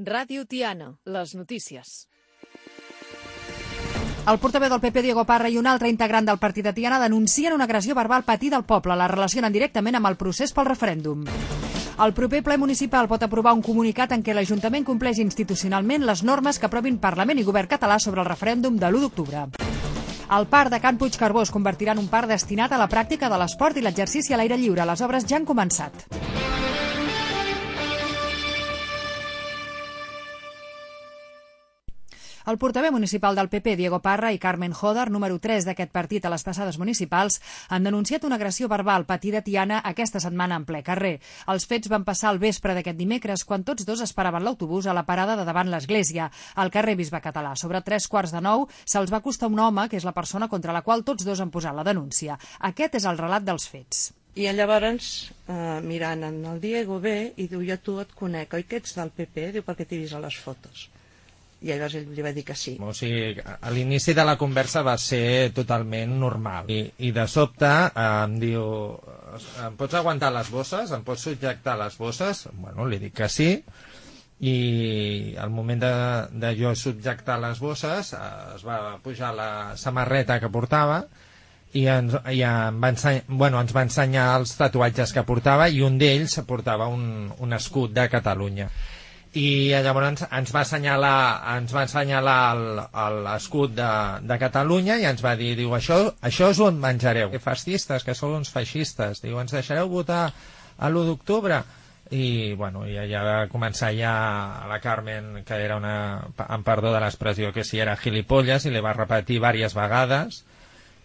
Ràdio Tiana, les notícies. El portaveu del PP, Diego Parra, i un altre integrant del partit de Tiana denuncien una agressió verbal patida al poble. La relacionen directament amb el procés pel referèndum. El proper ple municipal pot aprovar un comunicat en què l'Ajuntament compleix institucionalment les normes que aprovin Parlament i Govern català sobre el referèndum de l'1 d'octubre. El parc de Can Puigcarbó es convertirà en un parc destinat a la pràctica de l'esport i l'exercici a l'aire lliure. Les obres ja han començat. El portaveu municipal del PP, Diego Parra, i Carmen Joder, número 3 d'aquest partit a les passades municipals, han denunciat una agressió verbal patida a Tiana aquesta setmana en ple carrer. Els fets van passar al vespre d'aquest dimecres, quan tots dos esperaven l'autobús a la parada de davant l'església, al carrer Bisbe Català. Sobre 8:45 se'ls va acostar un home, que és la persona contra la qual tots dos han posat la denúncia. Aquest és el relat dels fets. I llavors, mirant en el Diego ve i diu, jo tu et conec, oi que ets del PP? Diu, perquè t'he vist a les fotos. I llavors ell li va dir que sí. O sigui, a l'inici de la conversa va ser totalment normal. I de sobte em diu, em pots aguantar les bosses? Em pots subjectar les bosses? Bueno, li dic que sí. I al moment de jo subjectar les bosses es va pujar la samarreta que portava i ens va ensenyar els tatuatges que portava, i un d'ells portava un escut de Catalunya. I llavors ens va assenyalar l'escut de Catalunya i ens va dir, diu, això us ho menjareu. Que fascistes, que sou uns feixistes. Diu, ens deixareu votar a l'1 d'octubre? I, bueno, i ja va començar ja la Carmen, que era en perdó de l'expressió, que si era gilipolles, i li va repetir diverses vegades.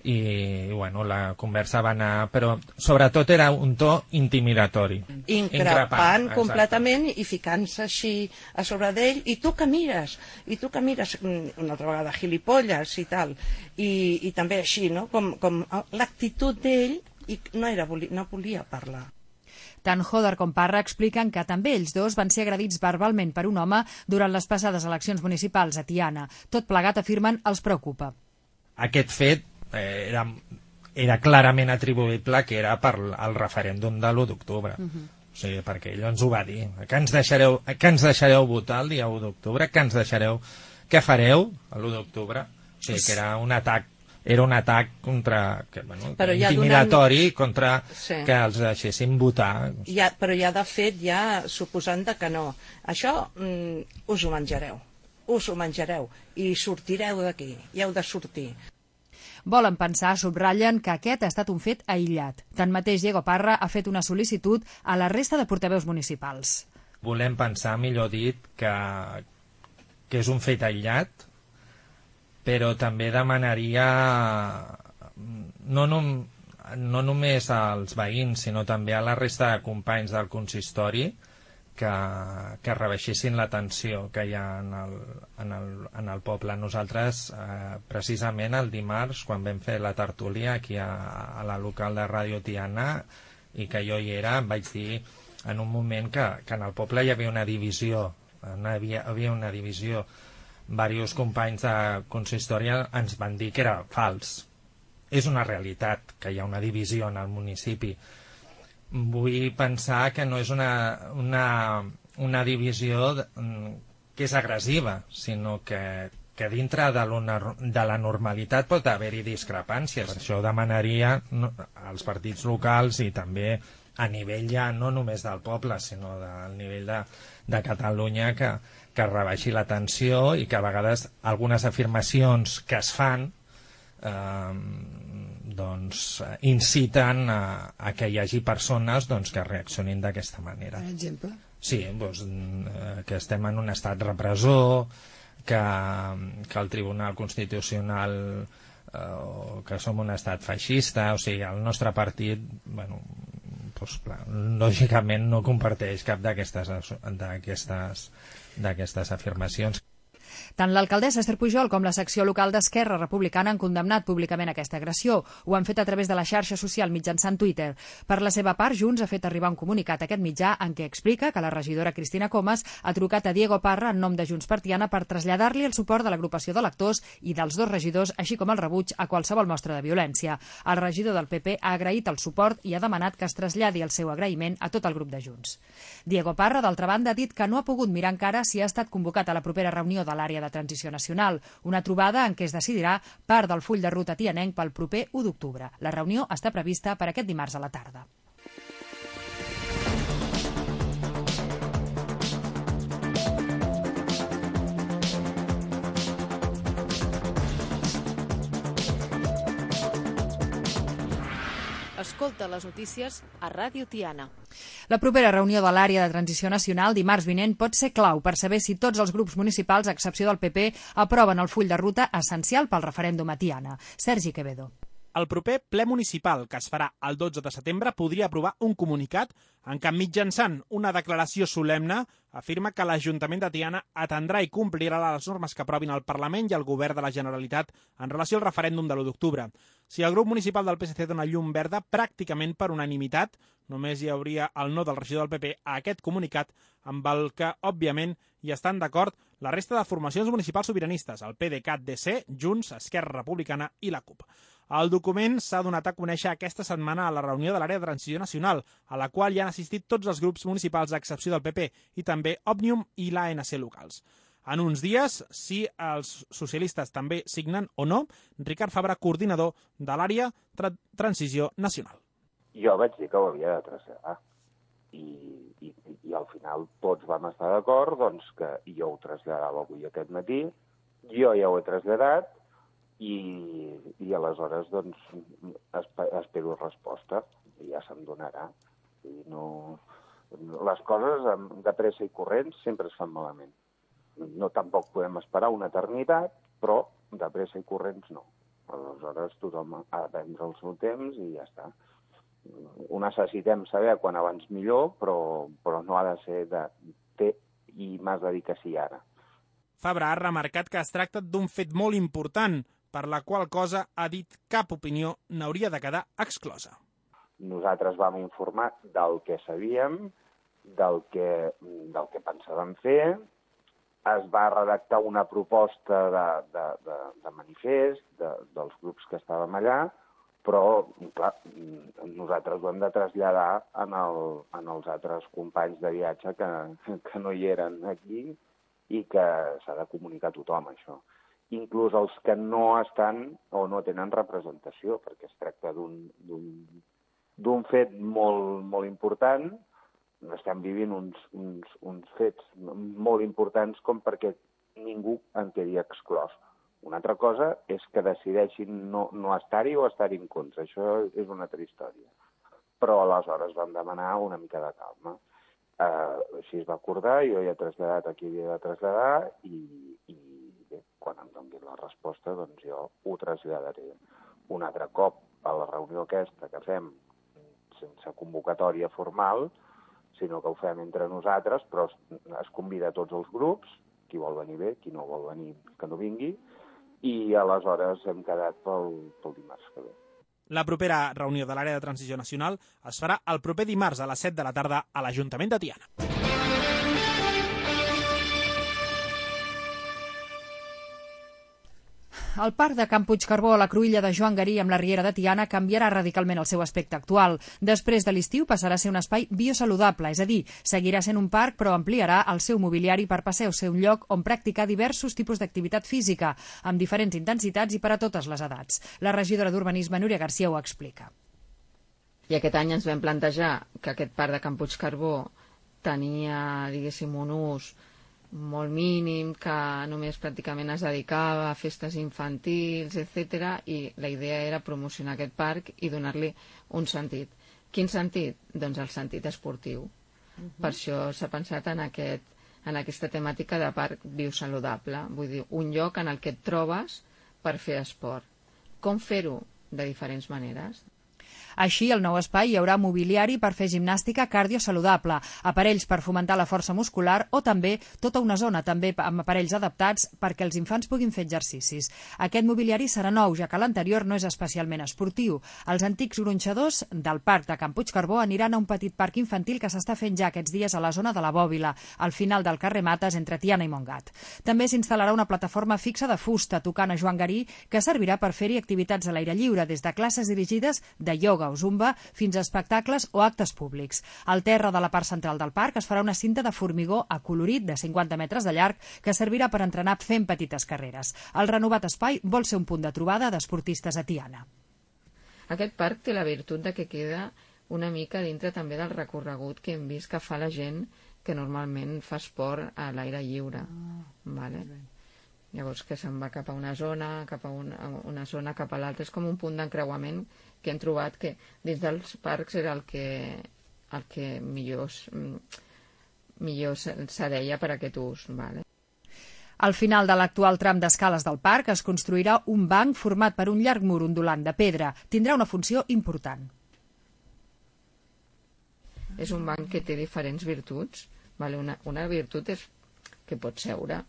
I, bueno, la conversa va anar, però sobretot era un to intimidatori. Increpant completament i ficant-se així a sobre d'ell, i tu que mires, una altra vegada, gilipolles i tal, i també així, no? Com l'actitud d'ell, i no volia parlar. Tant Joder com Parra expliquen que també ells dos van ser agredits verbalment per un home durant les passades eleccions municipals a Tiana. Tot plegat, afirmen, els preocupa. Aquest fet era clarament atribuïble que era per al referèndum de l'1 d'octubre. O sigui, perquè ell ens ho va dir. Que ens deixareu votar el dia 1 d'octubre? Què fareu l'1 d'octubre? O sigui, que era un atac intimidatori contra que els deixessin votar. Però ja de fet, ja suposant que no. Això us ho menjareu i sortireu d'aquí, i heu de sortir. Volen pensar, subratllen, que aquest ha estat un fet aïllat. Tanmateix, Diego Parra ha fet una sol·licitud a la resta de portaveus municipals. Volem pensar, millor dit, que és un fet aïllat, però també demanaria no només als veïns, sinó també a la resta de companys del consistori que rebaixessin la tensió que hi ha en el poble. Nosaltres, precisament el dimarts, quan vam fer la tertúlia aquí a la local de Ràdio Tiana, i que jo hi era, em vaig dir en un moment que en el poble hi havia una divisió, diversos companys de consistori ens van dir que era fals. És una realitat que hi ha una divisió en el municipi. Vull pensar que no és una divisió que és agressiva, sinó que dintre de la normalitat pot haver-hi discrepàncies. Per això demanaria als partits locals i també a nivell ja no només del poble, sinó del nivell de Catalunya, que rebaixi la tensió i que a vegades algunes afirmacions que es fan inciten a que hi hagi persones que reaccionin d'aquesta manera. Per exemple? Sí, que estem en un estat repressor, que el Tribunal Constitucional, que som un estat feixista. O sigui, el nostre partit, lògicament no comparteix cap d'aquestes afirmacions. Tant l'alcaldessa Esther Pujol com la secció local d'Esquerra Republicana han condemnat públicament aquesta agressió. Ho han fet a través de la xarxa social mitjançant Twitter. Per la seva part, Junts ha fet arribar un comunicat a aquest mitjà en què explica que la regidora Cristina Comas ha trucat a Diego Parra en nom de Junts per Tiana per traslladar-li el suport de l'agrupació d'electors i dels dos regidors, així com el rebuig a qualsevol mostra de violència. El regidor del PP ha agraït el suport i ha demanat que es traslladi el seu agraïment a tot el grup de Junts. Diego Parra, d'altra banda, ha dit que no ha pogut mirar encara si ha estat convocat a la propera reunió de l'àrea de transició nacional, una trobada en què es decidirà part del full de ruta tianenc pel proper 1 d'octubre. La reunió està prevista per aquest dimarts a la tarda. Escolta les notícies a Ràdio Tiana. La propera reunió de l'àrea de transició nacional dimarts vinent pot ser clau per saber si tots els grups municipals, a excepció del PP, aproven el full de ruta essencial pel referèndum a Tiana. Sergi Quevedo. El proper ple municipal, que es farà el 12 de setembre, podria aprovar un comunicat en què mitjançant una declaració solemne afirma que l'Ajuntament de Tiana atendrà i complirà les normes que aprovin el Parlament i el Govern de la Generalitat en relació al referèndum de l'1 d'octubre. Si el grup municipal del PSC dona llum verda pràcticament per unanimitat, només hi hauria el no del regidor del PP a aquest comunicat, amb el que, òbviament, hi estan d'acord la resta de formacions municipals sobiranistes, el PDeCAT-DC, Junts, Esquerra Republicana i la CUP. El document s'ha donat a conèixer aquesta setmana a la reunió de l'àrea de transició nacional, a la qual hi han assistit tots els grups municipals a excepció del PP i també Òmnium i l'ANC locals. En uns dies, si els socialistes també signen o no, Ricard Fabra, coordinador de l'àrea Transició Nacional. Jo vaig dir que ho havia de traslladar i al final tots vam estar d'acord doncs, que jo ho traslladava avui aquest matí, jo ja ho he traslladat i aleshores doncs, espero resposta i ja se'm donarà. Les coses de pressa i corrents sempre es fan malament. No tampoc podem esperar una eternitat, però de pressa i corrents no. Aleshores tothom ha de prendre el seu temps i ja està. Ho necessitem saber quan abans millor, però no ha de ser de té i m'has de dir que sí ara. Fabra ha remarcat que es tracta d'un fet molt important, per la qual cosa ha dit cap opinió n'hauria de quedar exclosa. Nosaltres vam informar del que sabíem, del que pensàvem fer, es va redactar una proposta de manifest dels grups que estàvem allà, però clar, nosaltres ho hem de traslladar en els altres companys de viatge que no hi eren aquí i que s'ha de comunicar a tothom, això. Inclús els que no estan o no tenen representació, perquè es tracta d'un fet molt, molt important. Estem vivint uns fets molt importants com perquè ningú en quedi exclòs. Una altra cosa és que decideixin no estar-hi o estar-hi en contra. Això és una altra història. Però aleshores vam demanar una mica de calma. Així es va acordar, jo ja he traslladat a qui havia de traslladar i bé, quan em doni la resposta doncs jo ho traslladaré un altre cop a la reunió aquesta que fem sense convocatòria formal, sinó que ho fem entre nosaltres, però es convida a tots els grups, qui vol venir bé, qui no vol venir que no vingui, i aleshores hem quedat pel dimarts que ve. La propera reunió de l'àrea de transició nacional es farà el proper dimarts a les 7 de la tarda a l'Ajuntament de Tiana. El parc de Can Puigcarbó a la cruïlla de Joan Garí amb la Riera de Tiana canviarà radicalment el seu aspecte actual. Després de l'estiu passarà a ser un espai biosaludable, és a dir, seguirà sent un parc però ampliarà el seu mobiliari per passar a ser un lloc on practicar diversos tipus d'activitat física, amb diferents intensitats i per a totes les edats. La regidora d'Urbanisme, Núria Garcia, ho explica. I aquest any ens vam plantejar que aquest parc de Can Puigcarbó tenia, diguéssim, un ús molt mínim, que només pràcticament es dedicava a festes infantils, etc. I la idea era promocionar aquest parc i donar-li un sentit. Quin sentit? Doncs el sentit esportiu. Per això s'ha pensat en aquesta temàtica de parc biosaludable. Vull dir, un lloc en el que et trobes per fer esport. Com fer-ho? De diferents maneres. Així, al nou espai hi haurà mobiliari per fer gimnàstica cardiosaludable, aparells per fomentar la força muscular o també tota una zona també amb aparells adaptats perquè els infants puguin fer exercicis. Aquest mobiliari serà nou, ja que l'anterior no és especialment esportiu. Els antics gronxadors del parc de Can Puigcarbó aniran a un petit parc infantil que s'està fent ja aquests dies a la zona de la Bòbila, al final del carrer Mates entre Tiana i Montgat. També s'instal·larà una plataforma fixa de fusta tocant a Joan Garí que servirà per fer-hi activitats a l'aire lliure, des de classes dirigides de ioga o zumba fins a espectacles o actes públics. Al terra de la part central del parc es farà una cinta de formigó acolorit de 50 metres de llarg que servirà per entrenar fent petites carreres. El renovat espai vol ser un punt de trobada d'esportistes a Tiana. Aquest parc té la virtut de que queda una mica dintre també del recorregut que hem vist que fa la gent que normalment fa esport a l'aire lliure. Vale? Llavors que se'n va cap a una zona, cap a l'altra. És com un punt d'encreuament que hem trobat que dins dels parcs era el que millor s'adeia per a aquest ús. Vale? Al final de l'actual tram d'escales del parc es construirà un banc format per un llarg mur ondulant de pedra. Tindrà una funció important. És un banc que té diferents virtuts. Vale? Una virtut és que pots seure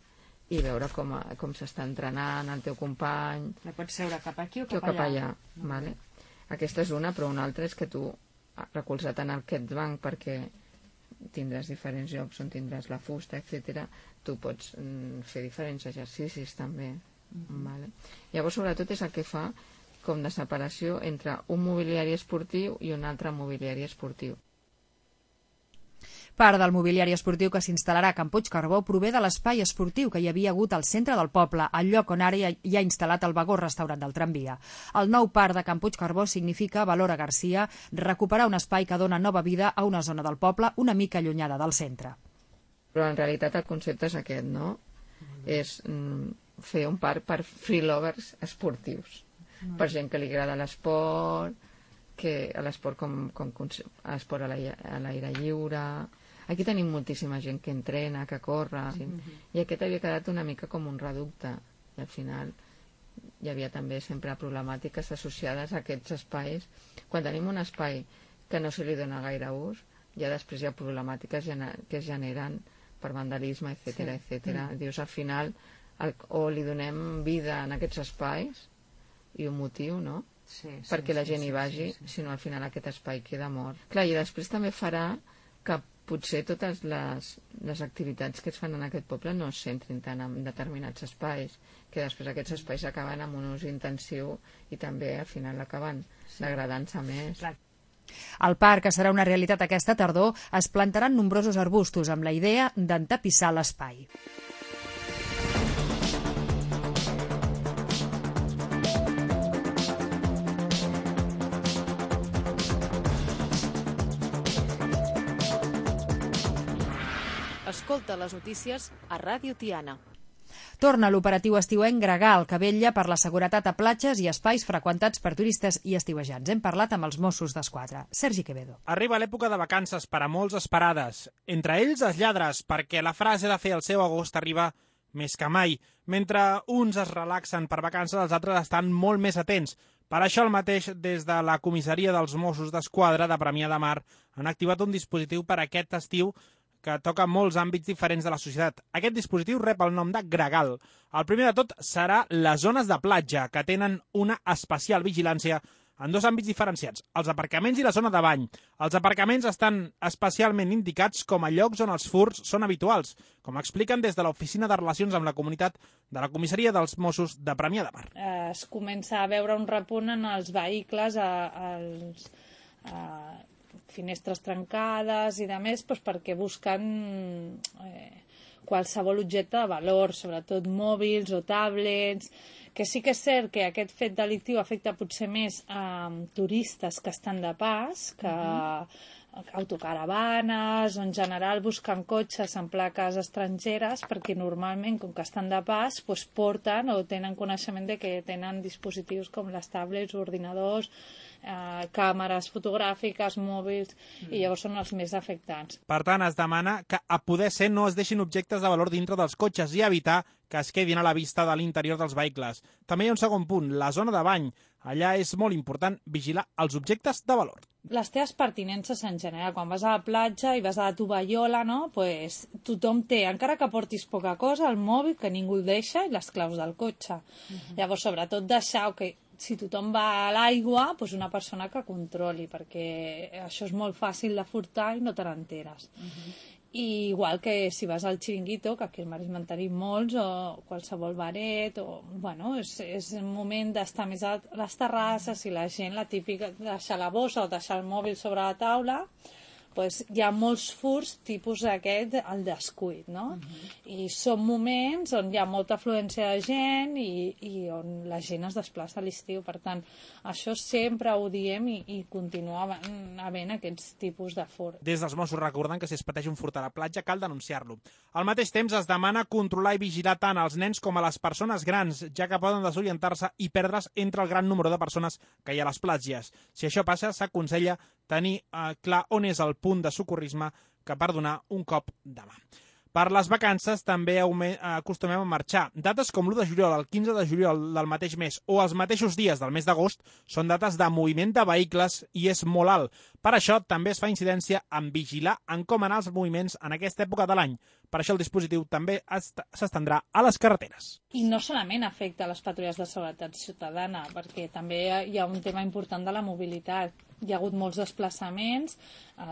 i veure com s'està entrenant el teu company. La pots seure cap aquí o cap allà. Vale? Aquesta és una, però una altra és que tu, recolzat en aquest banc perquè tindràs diferents llocs on tindràs la fusta, etc., tu pots fer diferents exercicis també. Vale? Llavors, sobretot, és el que fa com de separació entre un mobiliari esportiu i un altre mobiliari esportiu. Part del mobiliari esportiu que s'instal·larà a Can Puigcarbó prové de l'espai esportiu que hi havia hagut al centre del poble, al lloc on ara hi ha instal·lat el vagó-restaurant del tramvia. El nou parc de Can Puigcarbó significa, Valora Garcia, recuperar un espai que dona nova vida a una zona del poble una mica allunyada del centre. Però en realitat el concepte és aquest, no? És fer un parc per freelovers esportius, per gent que li agrada l'esport, que l'esport esport a l'aire lliure. Aquí tenim moltíssima gent que entrena, que corre, i aquest havia quedat una mica com un reducte, i al final hi havia també sempre problemàtiques associades a aquests espais. Quan tenim un espai que no se li dona gaire ús, ja després hi ha problemàtiques que es generen per vandalisme, etc. Dius, al final, o li donem vida en aquests espais, i un motiu, no? Perquè la gent hi vagi, sinó al final aquest espai queda mort. Clar, i després també farà que potser totes les activitats que es fan en aquest poble no es centrin tant en determinats espais, que després aquests espais acaben amb un ús intensiu i també al final acaben degradant-se més. Al parc, que serà una realitat aquesta tardor, es plantaran nombrosos arbustos amb la idea d'entapissar l'espai. Escolta les notícies a Ràdio Tiana. Torna l'operatiu estiuenc Gregal, que vetlla per la seguretat a platges i espais freqüentats per turistes i estiuejants. Hem parlat amb els Mossos d'Esquadra. Sergi Quevedo. Arriba l'època de vacances per a molts esperades. Entre ells els lladres, perquè la frase de fer el seu agost arriba més que mai. Mentre uns es relaxen per vacances, els altres estan molt més atents. Per això el mateix, des de la comissaria dels Mossos d'Esquadra de Premià de Mar han activat un dispositiu per a aquest estiu que toca molts àmbits diferents de la societat. Aquest dispositiu rep el nom de Gregal. El primer de tot serà les zones de platja, que tenen una especial vigilància en dos àmbits diferenciats, els aparcaments i la zona de bany. Els aparcaments estan especialment indicats com a llocs on els furts són habituals, com expliquen des de l'Oficina de Relacions amb la Comunitat de la Comissaria dels Mossos de Premià de Mar. Es comença a veure un repunt en els vehicles, finestres trencades i de més, doncs perquè busquen qualsevol objecte de valor, sobretot mòbils o tablets, que sí que és cert que aquest fet delictiu afecta potser més a turistes que estan de pas, que autocaravanes o en general busquen cotxes en plaques estrangeres perquè normalment, com que estan de pas, doncs porten o tenen coneixement de que tenen dispositius com les tablets, ordinadors, càmeres fotogràfiques, mòbils, i llavors són els més afectats. Per tant, es demana que a poder ser no es deixin objectes de valor dintre dels cotxes i evitar que es quedin a la vista de l'interior dels vehicles. També hi ha un segon punt, la zona de bany. Allà és molt important vigilar els objectes de valor. Les teves pertinences en general, quan vas a la platja i vas a la tovallola, no? Pues, tothom té, encara que portis poca cosa, el mòbil, que ningú el deixa, i les claus del cotxe. Llavors, sobretot, deixar que si tothom va a l'aigua, pues una persona que controli, perquè això és molt fàcil de furtar i no te n'enteres. I igual que si vas al xiringuito, que aquí al Maresme en tenim molts, o qualsevol baret, o, bueno, és un moment d'estar més a les terrasses i la gent, la típica, deixar la bossa o deixar el mòbil sobre la taula, pues hi ha molts furts tipus aquest, el descuit, no? I són moments on hi ha molta afluència de gent i on la gent es desplaça a l'estiu. Per tant, això sempre ho diem i continua havent aquests tipus de furt. Des dels Mossos recorden que si es pateix un furt a la platja cal denunciar-lo. Al mateix temps es demana controlar i vigilar tant els nens com a les persones grans, ja que poden desorientar-se i perdre's entre el gran número de persones que hi ha a les platges. Si això passa, s'aconsella tenir clar on és el punt de socorrisme que per donar un cop de mà. Per les vacances també acostumem a marxar. Dates com l'1 de juliol, el 15 de juliol del mateix mes o els mateixos dies del mes d'agost són dates de moviment de vehicles i és molt alt. Per això també es fa incidència en vigilar en com anar els moviments en aquesta època de l'any. Per això el dispositiu també s'estendrà a les carreteres. I no solament afecta les patrulles de seguretat ciutadana, perquè també hi ha un tema important de la mobilitat. Hi ha hagut molts desplaçaments,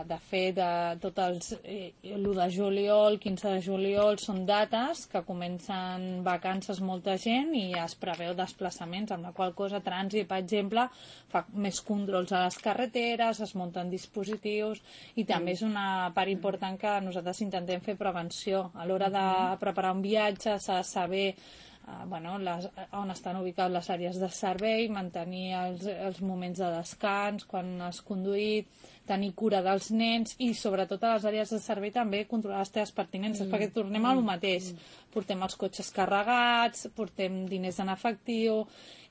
de fet, tot l'1 de juliol, 15 de juliol, són dates que comencen vacances molta gent i es preveu desplaçaments, amb la qual cosa Trànsit, per exemple, fa més controls a les carreteres, es munten dispositius i també és una part important que nosaltres intentem fer prevenció. A l'hora de preparar un viatge s'ha de saber on estan ubicades les àrees de servei, mantenir els moments de descans, quan has conduït, tenir cura dels nens i sobretot a les àrees de servei també controlar les teves pertinences, perquè tornem al mateix. Portem els cotxes carregats, portem diners en efectiu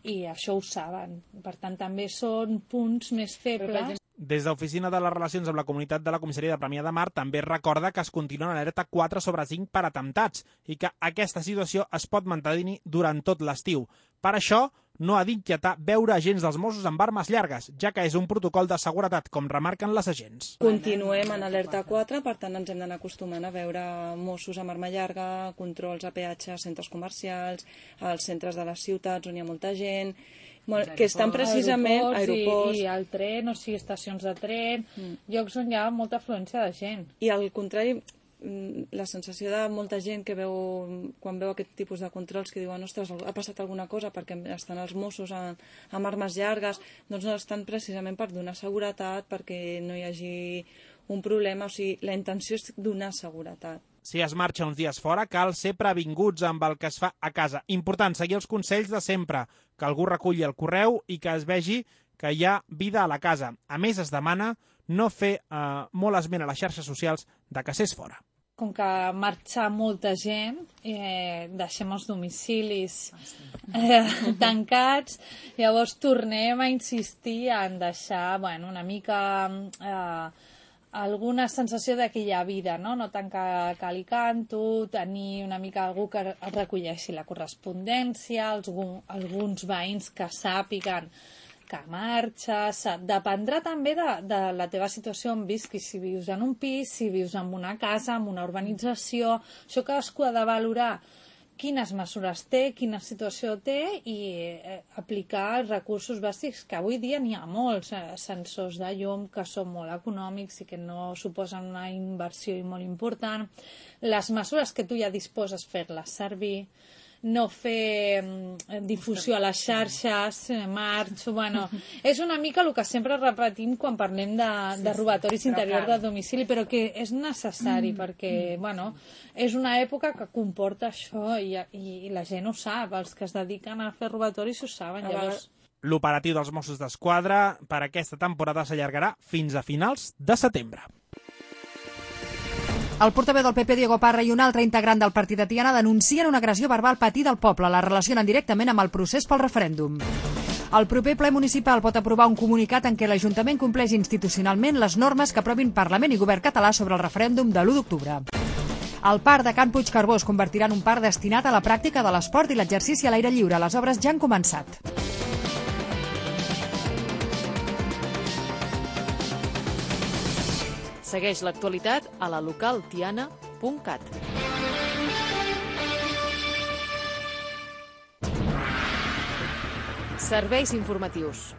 i això ho saben. Per tant, també són punts més febles. Des d'Oficina de les Relacions amb la Comunitat de la Comissaria de Premià de Mar també recorda que es continua en alerta 4/5 per atemptats i que aquesta situació es pot mantenir durant tot l'estiu. Per això, no ha d'inquietar veure agents dels Mossos amb armes llargues, ja que és un protocol de seguretat, com remarquen les agents. Continuem en alerta 4, per tant ens hem d'anar acostumant a veure Mossos amb arma llarga, controls a peatges, centres comercials, als centres de les ciutats on hi ha molta gent, que estan precisament aeroports i al tren, o sigui, estacions de tren, llocs on hi ha molta afluència de gent. I al contrari, la sensació de molta gent que quan veu aquest tipus de controls que diuen, ostres, ha passat alguna cosa perquè estan els Mossos amb armes llargues, doncs no estan precisament per donar seguretat, perquè no hi hagi un problema, o sigui, la intenció és donar seguretat. Si es marxa uns dies fora, cal ser previnguts amb el que es fa a casa. Important, seguir els consells de sempre, que algú reculli el correu i que es vegi que hi ha vida a la casa. A més, es demana no fer molt esment a les xarxes socials de que s'és fora. Com que marxa molta gent, deixem els domicilis tancats, llavors tornem a insistir en deixar una mica alguna sensació de que hi ha vida, no tant que cal i canto, tenir una mica algú que recolleixi la correspondència, alguns veïns que sàpiguen que marxes, dependrà també de la teva situació on visquis, si vius en un pis, si vius en una casa, en una urbanització, això cadascú ha de valorar quines mesures té, quina situació té i aplicar els recursos bàsics, que avui dia n'hi ha molts, sensors de llum que són molt econòmics i que no suposen una inversió molt important, les mesures que tu ja disposes fer-les servir, no fer difusió a les xarxes, marxo, és una mica el que sempre repetim quan parlem de robatoris interiors de domicili, però que és necessari perquè, és una època que comporta això i la gent ho sap, els que es dediquen a fer robatoris ho saben, llavors... L'operatiu dels Mossos d'Esquadra per aquesta temporada s'allargarà fins a finals de setembre. El portaveu del PP, Diego Parra, i un altre integrant del partit de Tiana denuncien una agressió verbal patida al poble. La relacionen directament amb el procés pel referèndum. El proper ple municipal pot aprovar un comunicat en què l'Ajuntament compleix institucionalment les normes que aprovin Parlament i Govern català sobre el referèndum de l'1 d'octubre. El parc de Can Puigcarbó es convertirà en un parc destinat a la pràctica de l'esport i l'exercici a l'aire lliure. Les obres ja han començat. Segueix l'actualitat a la localtiana.cat. Serveis informatius.